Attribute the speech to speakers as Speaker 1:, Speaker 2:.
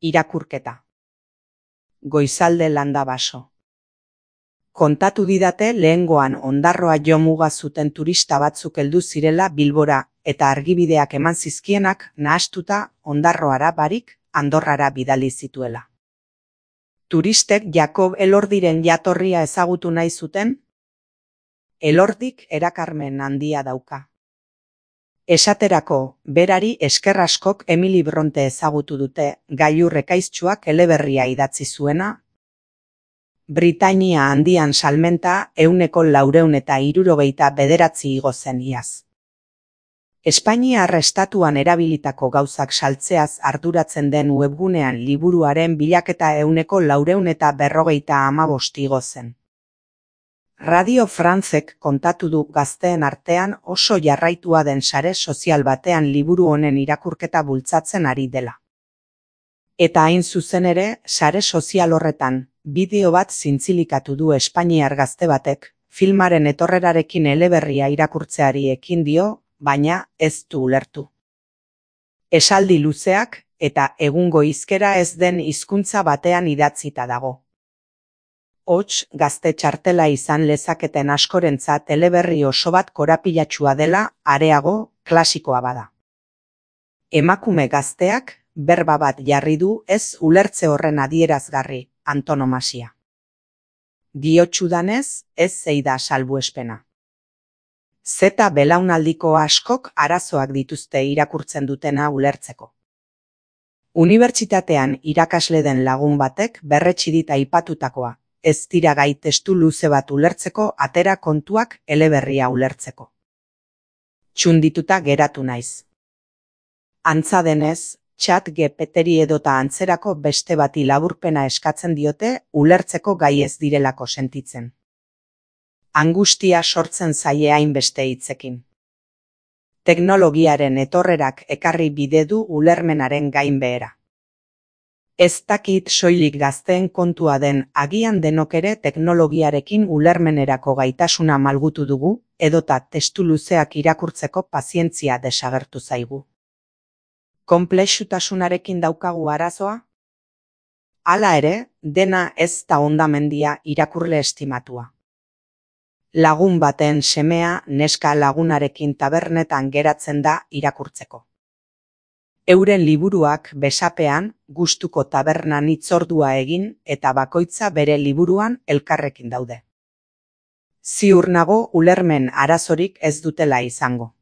Speaker 1: Irakurketa. Goizalde landa baso. Kontatu didate lehengoan Ondarroa jo muga zuten turista batzuk heldu zirela Bilbora eta argibideak eman zizkienak nahastuta Ondarroara barik Andorrara bidali zituela. Turistek Jakob Elordiren jatorria ezagutu nahi zuten? Elordik erakarmen handia dauka. Esaterako, berari esker askok Emili Bronte ezagutu dute, gailur ekaiztsuak eleberria idatzi zuena. Britainia handian salmenta 469 igo zen iaz. Espainiar estatuan erabilitako gauzak saltzeaz arduratzen den webgunean liburuaren bilaketa 455 igo zen. Radio Francek kontatu du gazteen artean oso jarraitua den sare sozial batean liburu honen irakurketa bultzatzen ari dela. Eta hain zuzen ere, sare sozial horretan, bideo bat zintzilikatu du espainiar gazte batek, filmaren etorrerarekin eleberria irakurtzeari ekin dio, baina ez du ulertu. Esaldi luzeak eta egungo hizkera ez den hizkuntza batean idatzita dago. Hots, gazte txartela izan lezaketen askorentzat eleberri oso bat korapilatsua dela, areago, klasikoa bada. Emakume gazteak, berba bat jarri du ez ulertze horren adierazgarri, antonomasia. Diotsudanez, ez zeida salbuespena. Zeta belaunaldiko askok arazoak dituzte irakurtzen dutena ulertzeko. Unibertsitatean irakasle den lagun batek berretsi dit aipatutakoa. Ez dira gai testu luze bat ulertzeko atera kontuak eleberria ulertzeko. Txundituta geratu naiz. Antza denez, ChatGPTri edota antzerako beste bati laburpena eskatzen diote ulertzeko gai ez direlako sentitzen. Angustia sortzen zaie hainbeste hitzekin. Teknologiaren etorrerak ekarri bide du ulermenaren gainbehera. Ez dakit soilik gazteen kontua den agian denok ere teknologiarekin ulermenerako gaitasuna malgutu dugu, edota testu luzeak irakurtzeko pazientzia desagertu zaigu. Konplexutasunarekin daukagu arazoa? Hala ere, dena ez da hondamendia irakurle estimatua. Lagun baten semea neska lagunarekin tabernetan geratzen da irakurtzeko. Euren liburuak besapean, gustuko tabernan hitzordua egin eta bakoitza bere liburuan elkarrekin daude. Ziur nago ulermen arazorik ez dutela izango.